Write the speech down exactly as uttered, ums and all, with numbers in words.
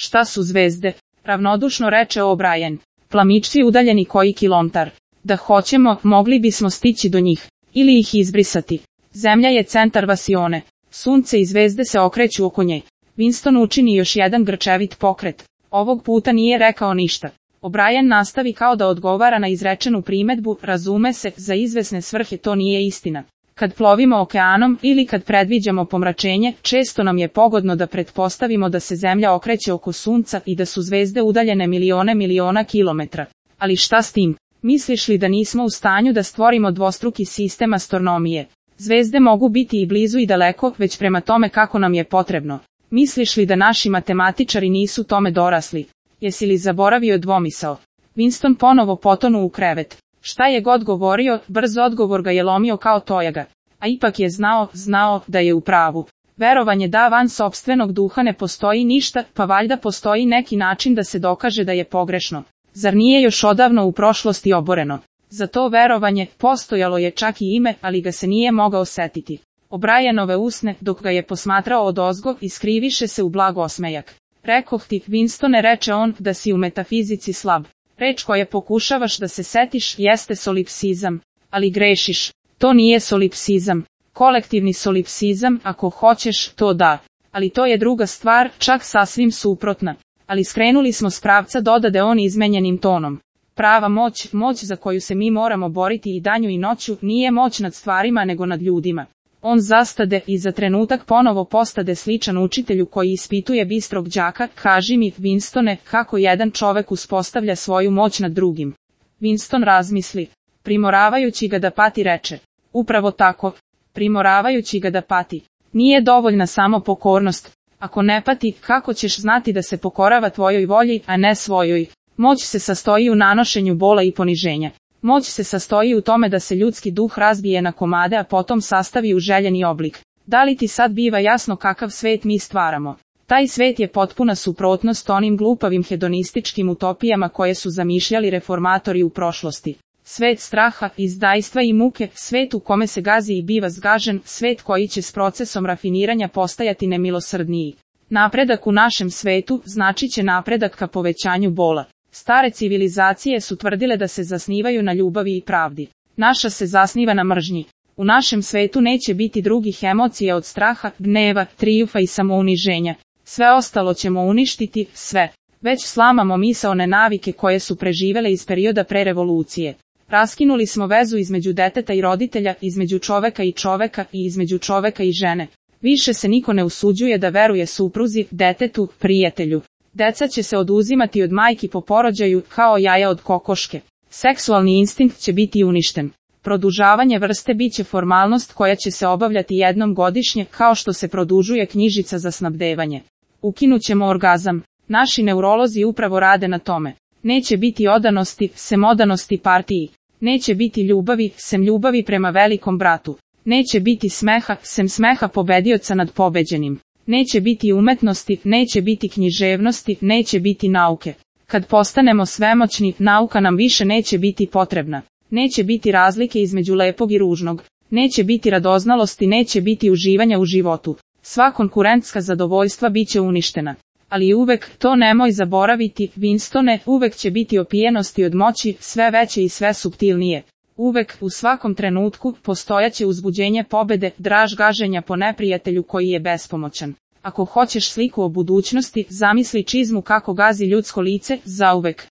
Šta su zvezde? Ravnodušno reče O'Brien. Plamići udaljeni koji kilometar. Da hoćemo, mogli bismo stići do njih. Ili ih izbrisati. Zemlja je centar vasione. Sunce i zvezde se okreću oko nje. Winston učini još jedan grčevit pokret. Ovog puta nije rekao ništa. O'Brien nastavi kao da odgovara na izrečenu primedbu, razume se, za izvesne svrhe to nije istina. Kad plovimo okeanom ili kad predviđamo pomračenje, često nam je pogodno da pretpostavimo da se Zemlja okreće oko Sunca i da su zvezde udaljene milione miliona kilometra. Ali šta s tim? Misliš li da nismo u stanju da stvorimo dvostruki sistem astronomije? Zvezde mogu biti i blizu i daleko, već prema tome kako nam je potrebno. Misliš li da naši matematičari nisu tome dorasli? Jesi li zaboravio dvomisao? Winston ponovo potonu u krevet. Šta je god govorio, brz odgovor ga je lomio kao tojaga. A ipak je znao, znao, da je u pravu. Verovanje da van sopstvenog duha ne postoji ništa, pa valjda postoji neki način da se dokaže da je pogrešno. Zar nije još odavno u prošlosti oboreno? Za to verovanje postojalo je čak i ime, ali ga se nije mogao setiti. O'Brienove usne, dok ga je posmatrao odozgo, iskriviše se u blag osmejak. Rekoh ti, Winstone, reče on, da si u metafizici slab. Reč koje pokušavaš da se setiš jeste solipsizam, ali grešiš. To nije solipsizam. Kolektivni solipsizam, ako hoćeš, to da. Ali to je druga stvar, čak sasvim suprotna. Ali skrenuli smo s pravca, dodade on izmenjenim tonom. Prava moć, moć za koju se mi moramo boriti i danju i noću, nije moć nad stvarima nego nad ljudima. On zastade i za trenutak ponovo postade sličan učitelju koji ispituje bistrog đaka. Kaži mi, Winstone, kako jedan čovek uspostavlja svoju moć nad drugim. Winston razmisli. Primoravajući ga da pati, reče. Upravo tako. Primoravajući ga da pati. Nije dovoljna samo pokornost. Ako ne pati, kako ćeš znati da se pokorava tvojoj volji, a ne svojoj? Moć se sastoji u nanošenju bola i poniženja. Moć se sastoji u tome da se ljudski duh razbije na komade, a potom sastavi u željeni oblik. Da li ti sad biva jasno kakav svet mi stvaramo? Taj svet je potpuna suprotnost onim glupavim hedonističkim utopijama koje su zamišljali reformatori u prošlosti. Svet straha, izdajstva i muke, svet u kome se gazi i biva zgažen, svet koji će s procesom rafiniranja postajati nemilosrdniji. Napredak u našem svetu znači će napredak ka povećanju bola. Stare civilizacije su tvrdile da se zasnivaju na ljubavi i pravdi. Naša se zasniva na mržnji. U našem svetu neće biti drugih emocija od straha, gneva, trijufa i samouniženja. Sve ostalo ćemo uništiti, sve. Već slamamo misaone navike koje su preživele iz perioda pre revolucije. Raskinuli smo vezu između deteta i roditelja, između čoveka i čoveka i između čoveka i žene. Više se niko ne usuđuje da veruje supruzi, detetu, prijatelju. Deca će se oduzimati od majki po porođaju, kao jaja od kokoške. Seksualni instinkt će biti uništen. Produžavanje vrste biće formalnost koja će se obavljati jednom godišnje, kao što se produžuje knjižica za snabdevanje. Ukinućemo orgazam. Naši neurolozi upravo rade na tome. Neće biti odanosti, sem odanosti partiji. Neće biti ljubavi, sem ljubavi prema velikom bratu. Neće biti smeha, sem smeha pobedioca nad pobeđenim. Neće biti umetnosti, neće biti književnosti, neće biti nauke. Kad postanemo svemoćni, nauka nam više neće biti potrebna. Neće biti razlike između lepog i ružnog. Neće biti radoznalosti, neće biti uživanja u životu. Sva konkurentska zadovoljstva biće uništena. Ali uvek, to nemoj zaboraviti, Winstone, uvek će biti opijenosti od moći, sve veće i sve suptilnije. Uvek, u svakom trenutku, postojaće uzbuđenje pobede, draž gaženja po neprijatelju koji je bespomoćan. Ako hoćeš sliku o budućnosti, zamisli čizmu kako gazi ljudsko lice, zauvek.